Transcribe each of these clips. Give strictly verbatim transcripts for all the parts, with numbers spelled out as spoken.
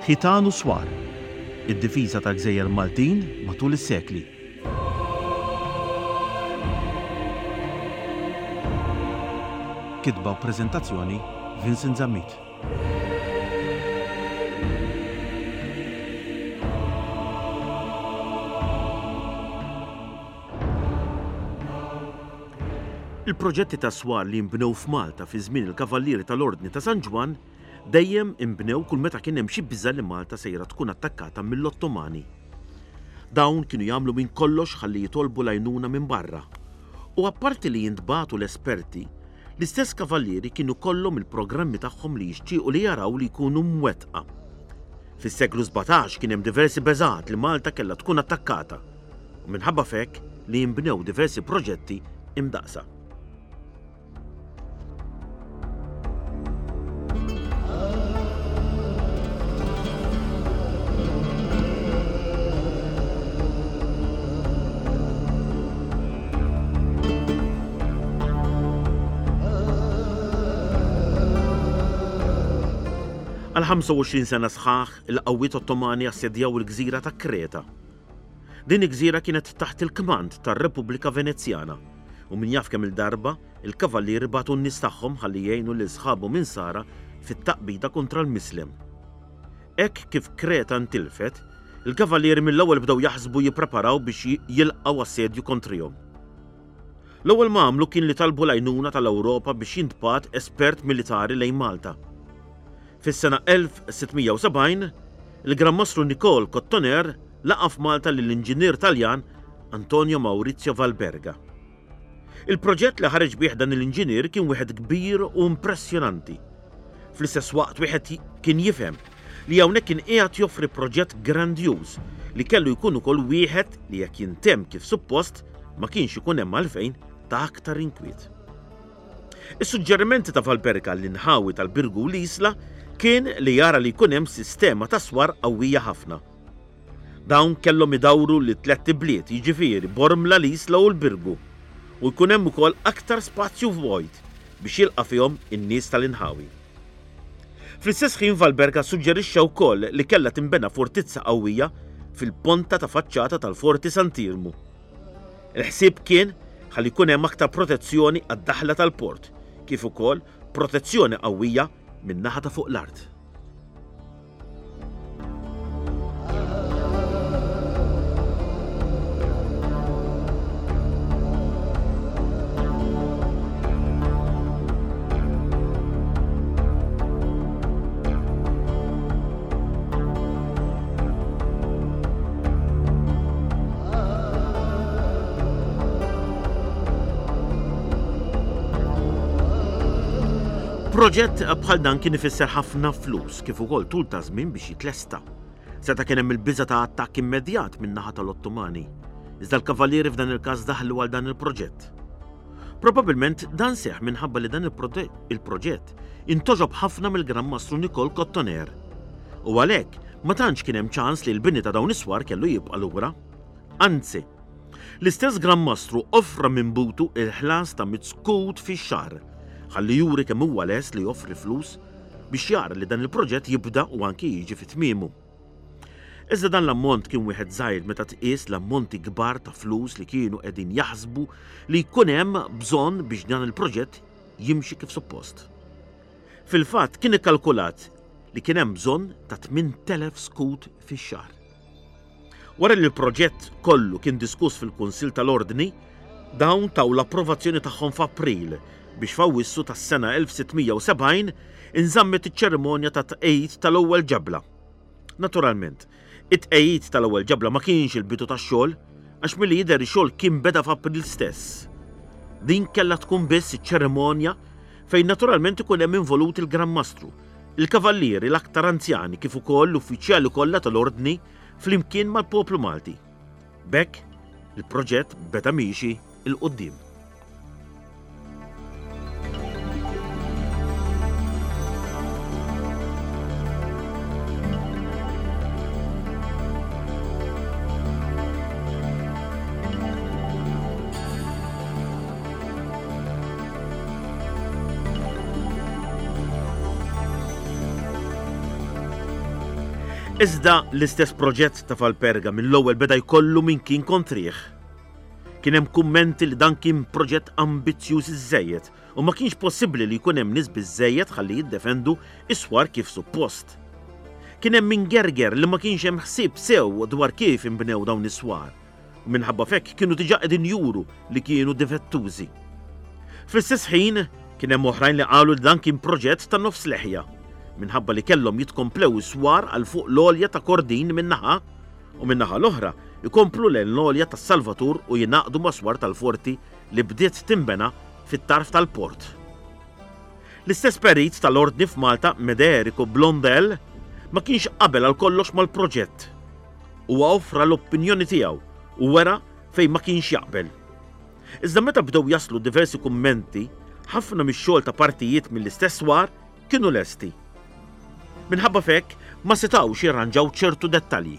Ħitan u Swar, id-difiża tal-Gżejjer Maltin matul is-sekli. Kitba u preżentazzjoni Vincent Zammit. Il-proġetti ta' swar li nbnew f'Malta fi żmien il-Kavallieri tal-Ordni ta' San Ġwann dejjem inbnew kull meta kien hemm xi biża' li Malta sejra tkun attakkata mill-Ottomani. Dawn kienu jagħmlu minn kollox ħalli jitolbu l-għajnuna minn barra. U apparti li jintbagħtu l-esperti, l-istess kavallieri kienu kollhom il-programmi tagħhom li jixtiequ li jaraw li jkunu mwettqa. Fis-seklu sbatax kien hemm diversi beżgħat li Malta kellha tkun attakkata u minħabba f'hekk li jinbnew diversi proġetti imdaqsa. Għal ħamsa u għoxrin sena sħaħ, il-qawwiet Ottomani assedjaw il-gżira ta' Kreta. Din il-gżira kienet taħt il-kmand tar-Repubblika Venezjana u min jaf kemm il-darba il-kavallieri bagħtu n-nies tagħhom ħalli jgħinu lil sħabhom insara fit-taqbida kontra l-Mislem. Hekk kif Kreta ntilfet, il-kavallieri mill-ewwel bdew jaħsbu jippreparaw biex jilqgħu assedju kontrihom. L-ewwel ma għamlu kien li talbu l-għajnuna tal-Ewropa biex jintbagħat espert militari lejn Malta. Fis-sena elf sitt mija u sebgħin, il-Gran Mastru Nicole Cotoner laqa' f'Malta lill-inġinier Taljan Antonio Maurizio Valperga. Il-proġett li ħareġ bih dan l-inġinier kien wieħed kbir u impressjonanti. Fl-istess waqt wieħed kien jifhem li hawnhekk kien qiegħed joffri proġett grandjuż li kellu jkun ukoll wieħed li jekk jintemm kif suppost ma kienx ikun hemm għalfejn ta' aktar inkwiet. Is-suġġerimenti ta' Valperga l-inħawi tal-Birgu u l-Isla kien li jara li jkun hemm sistema ta' swar qawwija ħafna. Dawn kellhom idawru li tlett ibliet, jiġifieri Bormla, l-Isla u l-Birgu, u jkun hemm ukoll aktar spazju vojt biex jilqa' fihom in-nies tal-inħawi. Fl-istess ħin Valperga suġġerixxa wkoll li kellha tinbena fortizza qawwija fil-ponta ta' faċċata tal-Forti Sant'Iermu. Il-ħsieb kien ħalli jkun hemm aktar protezzjoni għad-daħla tal-port, kif ukoll protezzjoni qawwija min-naħa ta' fuq l-art. Proġett bħal dan kien ifisser ħafna flus kif ukoll tul ta' żmien biex jitlesta. Seta' kien hemm il-biża' ta' attakk immedjat min-naħa tal-Ottomani. Iżda l-kavallieri f'dan il-każ daħlu għal dan il-proġett. Probabilment dan seħħ minħabba li dan il-prote-, il-proġett intoġob ħafna mill-Gran Mastru Nicole Cotoner. U għalhekk ma tantx kien hemm ċans li l-bini ta' dawn is-swar kellu jibqa' lura. Anzi, l-istess Gran Mastru offra minn butu il-ħlas ta' mitt skut fix-xahar, ħalli juri kemm huwa lest li joffri flus biex jara li dan il-proġett jibda u anki jiġi fi tmiemu. Iżda dan l-ammont kien wieħed żgħir meta tqies l-ammonti kbar ta' flus li kienu qegħdin jaħsbu li jkun hemm bżonn biex dan il-proġett jimxi kif suppost. Fil-fatt kien ikkalkulat li kien hemm bżonn ta' tmien telef skut fix-xahar. Wara li l-proġett kollu kien diskuss fil-Kunsill tal-Ordni, dawn taw l-approvazzjoni tagħhom f'April biex f'Awwissu tas-sena elf sitt mija u sebgħin inżammet iċ-ċerimonja ta' tqegħid tal-ewwel ġebla. Naturalment, it-tqegħid tal-ewwel ġebla ma kienx il-bidu tax-xogħol, għax milli jidher ix-xogħol kien beda f'April stess. Din kellha tkun biss iċ-ċerimonja fejn naturalment ikun hemm involut il-Gran Mastru, il-kavallieri l-aktar anzjani kif ukoll l-uffiċjali kollha tal-Ordni flimkien mal-poplu Malti. B'hekk, il-proġett beda miexi 'l quddiem. Iżda l-istess proġett ta' Falperga mill-ewwel beda jkollu min kien kontrih. Kien hemm kummenti li dan kien proġett ambizzjuż iżżejjed u ma kienx possibbli li jkun hemm nies biżżejjed ħalli jiddefendu is-swar kif suppost. Kien hemm min gerger li ma kienx hemm ħsieb sew dwar kif inbnew dawn is-swar u minħabba f'hekk kienu diġà qegħdin juru li kienu difettużi. Fl-istess ħin kien hemm oħrajn li qalu li dan kien proġett ta' nofs leħja minħabba li kellhom jitkomplew is-swar għal fuq l-għolja ta' Kordin min-naħa u min-naħa l-oħra jkomplu lejn l-għolja tas-Salvatur u jingħaqdu ma' swar tal-forti li bdiet tinbena fit-tarf tal-port. L-istess perit tal-Ordni f'Malta, Mederico Blondel, ma kienx qabel għal kollox mal-proġett. Huwa offra l-opinjoni tiegħu u wera fejn ma kienx jaqbel. Iżda meta bdew jaslu diversi kummenti, ħafna mix-xogħol ta' partijiet mill-istess swar kienu lesti. Minħabba f'hekk ma setgħux jirranġaw ċertu dettalji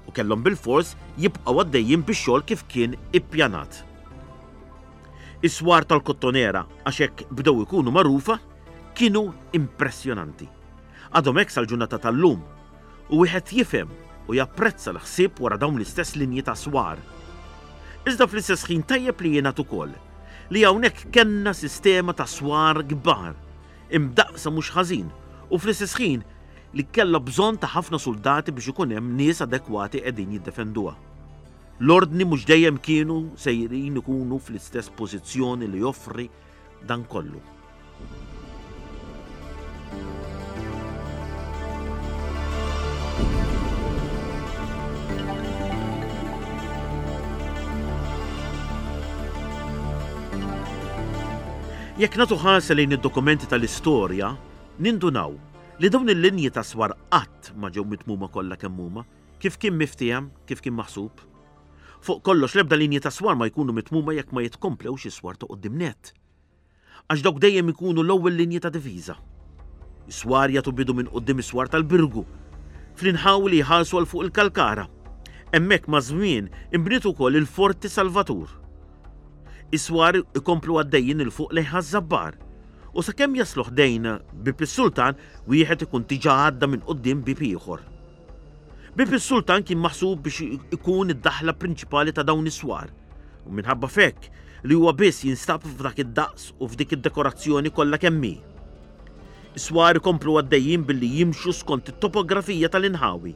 u kellhom bilfors jibqgħu għaddejjin bix-xogħol kif kien ippjanat. Is-swar tal-Kottonera, għax hekk bdew ikunu magħrufa, kienu impressjonanti. Għadhom hekk sal-ġurnata tal-lum u wieħed jifhem u japprezza l-ħsieb wara dawn l-istess linji ta' swar. Iżda fl-istess ħin tajjeb li jingħad ukoll li hawnhekk kellna sistema ta' swar kbar, imdaqsa mhux ħażin, u fl-istess ħin li kellha bżonn ta' ħafna soldati biex ikun hemm nies adekwati qegħdin jiddefenduha. L-ordni mhux dejjem kienu sejrin ikunu fl-istess pożizzjoni li joffri dan kollu. Jekk nagħtu ħarsa lejn id-dokumenti tal-istorja, nindunaw li dawn il-linji ta' swar qatt ma ġew mitmuma kollha kemm huma, kif kien miftiehem, kif kien maħsub. Fuq kollox l-ebda linji ta' swar ma jkunu mitmuma jekk ma jitkomplewx is-swar ta' quddiem nett. Għax dawk dejjem ikunu l-ewwel linji ta' difiża. Is-swar jagħtu bidu minn quddiem is-swar tal-Birgu, fl-inħawi li jħarsu għal fuq il-Kalkara. Hemmhekk maż-żmien inbniet ukoll il-Forti Salvatur. Is-swar ikomplu għaddejjin il fuq lejn Ħaż-Żabbar u sakemm jaslu ħdejn Bieb is-Sultan wieħed ikun diġà għadda minn quddiem bieb ieħor. Bieb is-Sultan kien maħsub biex ikun id-daħla prinċipali ta' dawn is-swar u minħabba f'hekk li huwa biss jinstab f'dak id-daqs u f'dik id-dekorazzjoni kollha kemm hi. Is-swar ikomplu għaddejjin billi jimxu skont it-topografija tal-inħawi,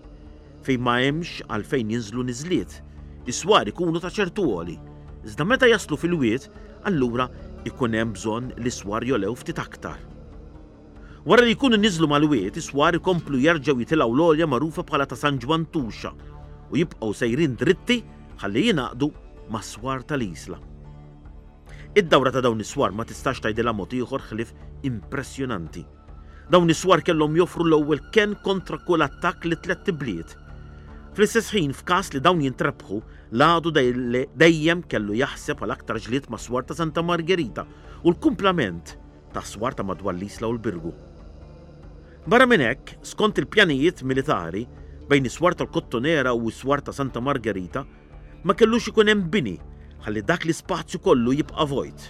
fejn ma hemmx għalfejn jinżlu niżliet. Is-swar ikunu ta' ċertu għoli, iżda meta jaslu fil-wied, allura ikun hemm bżonn li s-swar jolew ftit aktar. Wara li jkunu niżlu mal-wied, is-swar ikomplu jerġgħu jitilgħu l-għolja magħrufa bħala ta' San Ġwann Tuxa u jibqgħu sejrin dritti ħalli jingħaqdu mas-swar tal-Isla. Id-dawra ta' dawn is-swar ma tistax tgħidilha mod ieħor ħlief impressjonanti. Dawn is-swar kellhom joffru l-ewwel kenn kontra kull attakk li tlett ibliet. Fl-istess ħin, f'każ li dawn jintrebħu, l-għadu dejjem kellu jaħseb għal aktar ġlied ma' swar ta' Santa Margherita u l-kumplament ta' swar ta' madwar l-Isla u l-Birgu. Barra minn hekk, skont il-pjanijiet militari, bejn is-swar tal-Kottonera u s-swar ta' Santa Margherita, ma kellux ikun hemm bini ħalli dak l-ispazju kollu jibqa' vojt.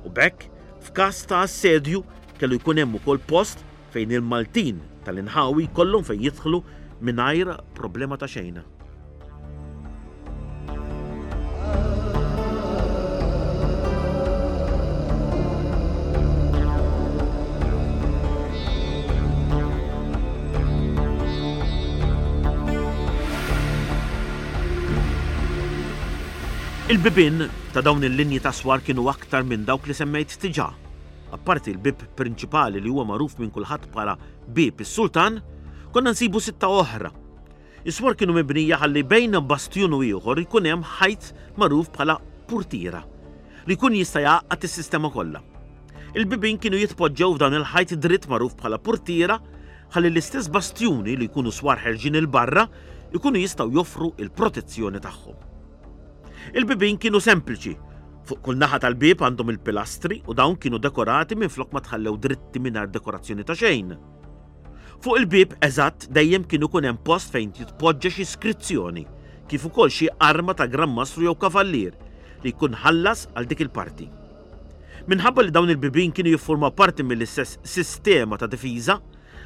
U b'hekk, f'każ ta' assedju, kellu jkun hemm ukoll post fejn il-Maltin tal-inħawi jkollhom fejn jidħlu mingħajr problema ta' xejn. Il-bibien ta' dawn il-linji ta' swar kienu aktar minn dawk li semmejt diġà. Apparti l-bib prinċipali li huwa magħruf minn kulħadd bħala Bieb is-Sultan, konna nsibu sitta oħra. Is-swar kienu mibnija ħalli bejn bastjun u ieħor ikun hemm ħajt magħruf bħala purtiera li jkun jista' jgħaqqad is-sistema kollha. Il-bibien kienu jitpoġġew f'dan il-ħajt dritt magħruf bħala purtiera ħalli l-istess bastjuni li jkunu swar ħerġin il-barra jkunu jistgħu joffru il-protezzjoni tagħhom. Il-bibien kienu sempliċi. Fuq kull naħa tal-bieb għandhom il-pilastri u dawn kienu dekorati minflok ma tħallew dritti mingħajr dekorazzjoni ta' xejn. Fuq il-bieb eżatt dejjem kienu kun hemm post fejn titpoġġa xi iskrizzjoni, kif ukoll xi arma ta' Gran Mastru jew Kavallier li jkun ħallas għal dik il-parti. Minħabba li dawn il-bibien kienu jiffurmaw parti mill-istess sistema ta' difiża,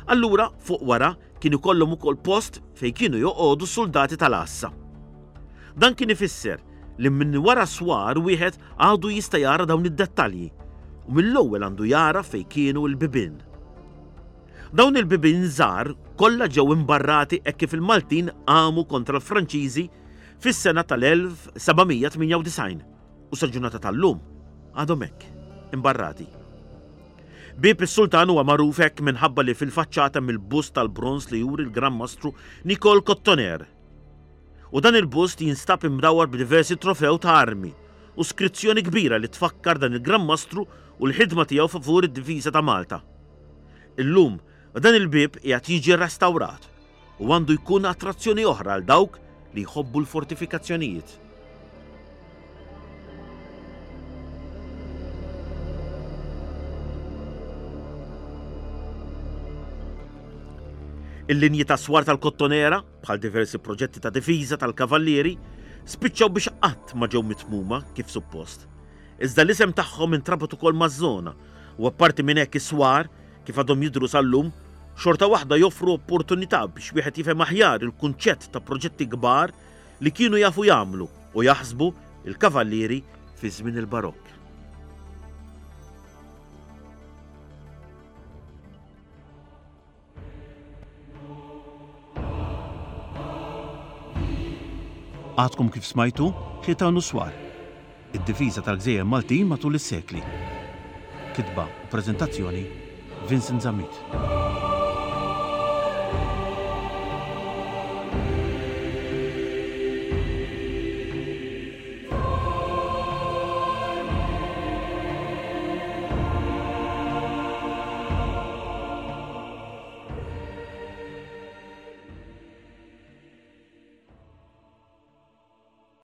Allura fuq wara kien ikollhom ukoll post fejn kienu joqogħdu s-suldati tal-għassa. Dan kien ifisser li minn wara swar wieħed għadu jista' jara dawn id-dettalji u mill-ewwel għandu jara fejn kienu l-bibien. Dawn il-bibien żgħar kollha ġew imbarrati hekk kif il-Maltin qamu kontra l-Franċiżi fis-sena tal-elf seba' mija tmienja u disgħin u sal-ġurnata tal-lum għadhom hekk, imbarrati. Bieb is-Sultan huwa magħruf hekk minħabba li fil-faċċata hemm il-bust tal-bronż li juri l-Gran Mastru Nicole Cotoner. U dan il-bust jinstab imdawwar b'diversi trofew ta' armi u skrizzjoni kbira li tfakkar dan il-Gran Mastru u l-ħidma tiegħu favur id-difiża ta' Malta. Illum dan il-bieb qiegħed jiġi restawrat u għandu jkun attrazzjoni oħra għal dawk li jħobbu l-fortifikazzjonijiet. Il-linji ta' swar tal-Kottonera, bħal diversi proġetti ta' difiża tal-Kavallieri, spiċċaw biex qatt ma ġew mitmuma kif suppost. Iżda l-isem tagħhom intrabat ukoll maż-żona u apparti minn hekk is-swar, kif għadhom jidhru sal-lum, xorta waħda joffru opportunità biex wieħed jifhem aħjar il-kunċett ta' proġetti kbar li kienu jafu jagħmlu u jaħsbu il-Kavallieri fi żmien il-Barokk. Għadkom kif smajtu Ħitan u Swar, id-difiża tal-gżejjer Maltin matul is-sekli. Kitba u preżentazzjoni Vincent Zammit.